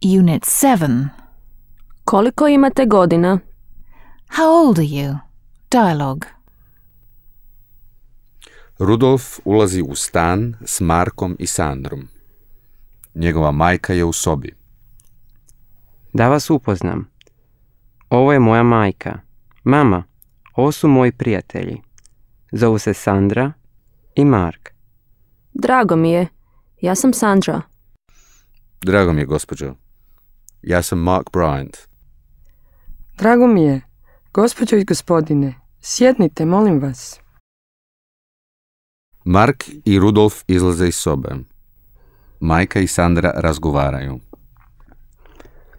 Unit 7. Koliko imate godina? How old are you? Dialogue. Rudolf ulazi u stan s Markom i Sandrom. Njegova majka je u sobi. Da vas upoznam. Ovo je moja majka. Mama, ovo su moji prijatelji. Zovu se Sandra i Mark. Drago mi je. Ja sam Sandra. Drago mi je, gospođo. Ja sam Mark Bryant. Drago mi je. Gospođo i gospodine, sjednite, molim vas. Mark i Rudolf izlaze iz sobe. Majka i Sandra razgovaraju.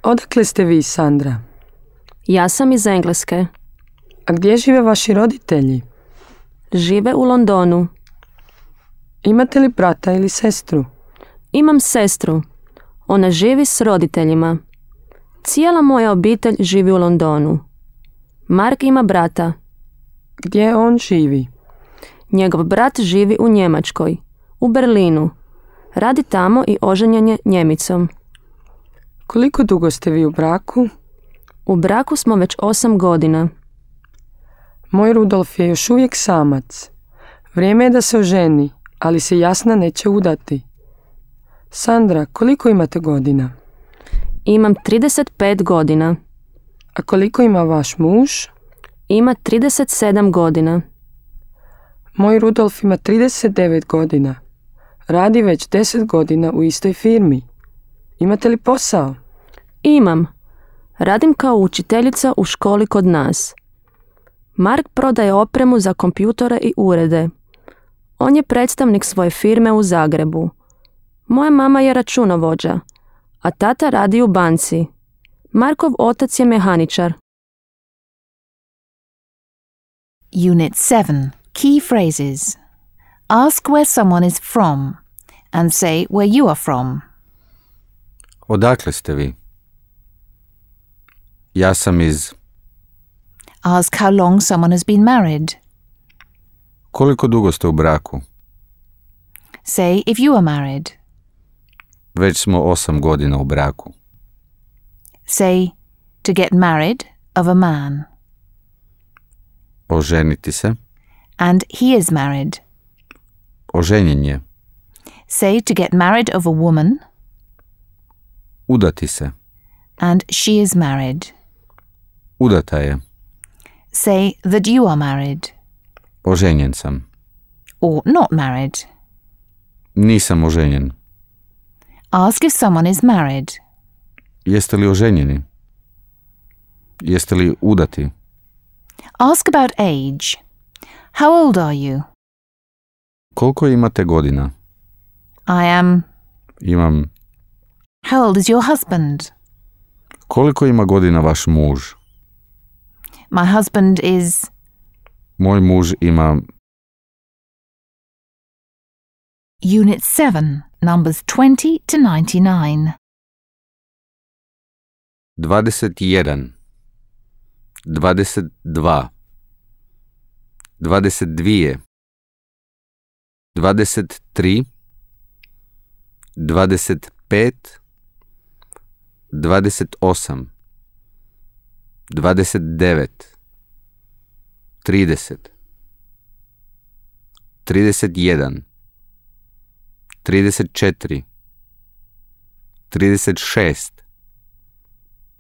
Odakle ste vi, Sandra? Ja sam iz Engleske. A gdje žive vaši roditelji? Žive u Londonu. Imate li brata ili sestru? Imam sestru. Ona živi s roditeljima. Cijela moja obitelj živi u Londonu. Mark ima brata. Gdje on živi? Njegov brat živi u Njemačkoj, u Berlinu. Radi tamo i oženjen je Njemicom. Koliko dugo ste vi u braku? U braku smo već 8 godina. Moj Rudolf je još uvijek samac. Vrijeme je da se oženi, ali se Jasna neće udati. Sandra, koliko imate godina? Imam 35 godina. A koliko ima vaš muž? Ima 37 godina. Moj Rudolf ima 39 godina. Radi već 10 godina u istoj firmi. Imate li posao? Imam. Radim kao učiteljica u školi kod nas. Mark prodaje opremu za kompjutore i urede. On je predstavnik svoje firme u Zagrebu. Moja mama je računovođa, a tata radi u banci. Markov otac je mehaničar. Unit 7. Key phrases. Ask where someone is from and say where you are from. Odakle ste vi? Ja sam iz... Ask how long someone has been married. Koliko dugo ste u braku? Say if you are married. Već smo 8 godina u braku. Say to get married of a man. Oženiti se. And he is married. Oženjen je. Say to get married of a woman. Udati se. And she is married. Udata je. Say that you are married. Oženjen sam. Or not married. Nisam oženjen. Ask if someone is married. Jeste li oženjeni? Jeste li udati? Ask about age. How old are you? Koliko imate godina? I am. Imam. How old is your husband? Koliko ima godina vaš muž? My husband is. Moj muž ima... Unit 7, numbers 20 to 99. 21, 22, 22, 23, 25, 28, 29, 30, 31, 34, 36,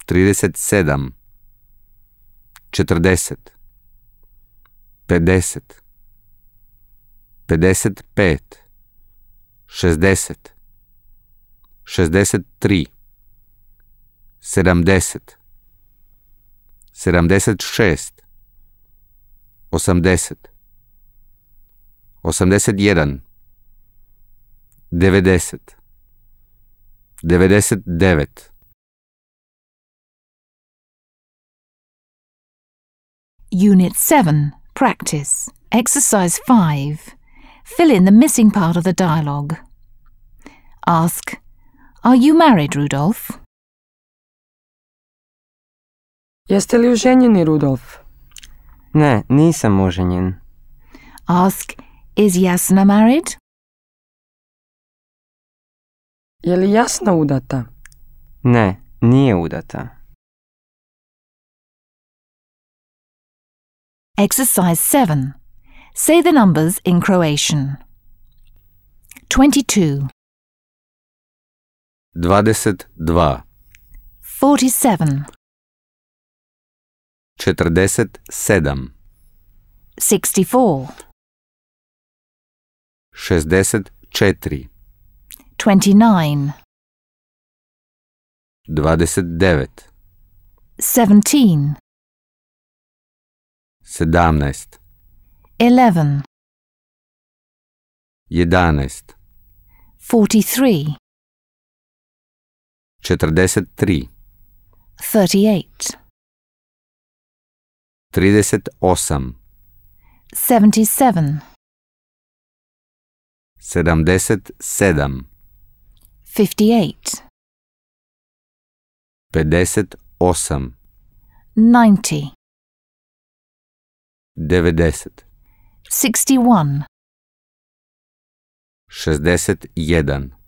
37, 40, 50, 55, 60, 63, 70, 76, 80, 81, 90, 99. Unit 7, practice, exercise 5. Fill in the missing part of the dialogue. Ask, are you married, Rudolf? Jeste li oženjeni, Rudolf? Ne, nisam oženjen. Ask, is Jasna married? Je li Jasna udata? Ne, nije udata. Exercise 7. Say the numbers in Croatian. 22, 22, 47, 47, 64, 64, 29, 29, 17, 17, 11, 11, 43, 43, 38, 38, 77, 77, 58, 58, 90, 90, 61, 61,